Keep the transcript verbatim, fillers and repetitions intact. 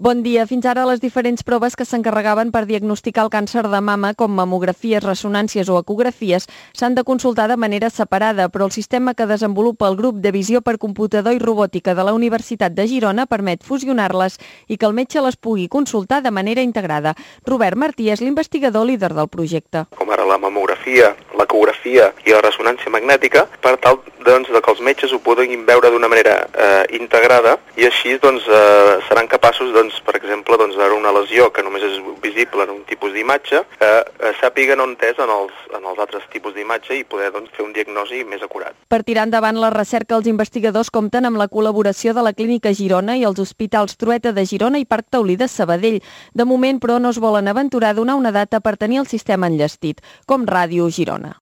Bon dia. Fins ara les diferents proves que s'encarregaven per diagnosticar el càncer de mama, com mamografies, ressonàncies o ecografies, s'han de consultar de manera separada, però el sistema que desenvolupa el grup de visió per computador i robòtica de la Universitat de Girona permet fusionar-les i que el metge les pugui consultar de manera integrada. Robert Martí és l'investigador líder del projecte. Com ara la mamografia, l'ecografia i la ressonància magnètica, per tal doncs, que els metges ho puguin veure d'una manera eh, integrada i així doncs, eh, seran capaços, doncs, per exemple, doncs, veure una lesió que només és visible en un tipus d'imatge, que eh, sàpiguen on és en els, en els altres tipus d'imatge i poder doncs, fer un diagnòstic més acurat. Per tirar endavant la recerca, els investigadors compten amb la col·laboració de la Clínica Girona i els hospitals Trueta de Girona i Parc Taulí de Sabadell. De moment, però, no es volen aventurar a donar una data per tenir el sistema enllestit, com Ràdio Girona.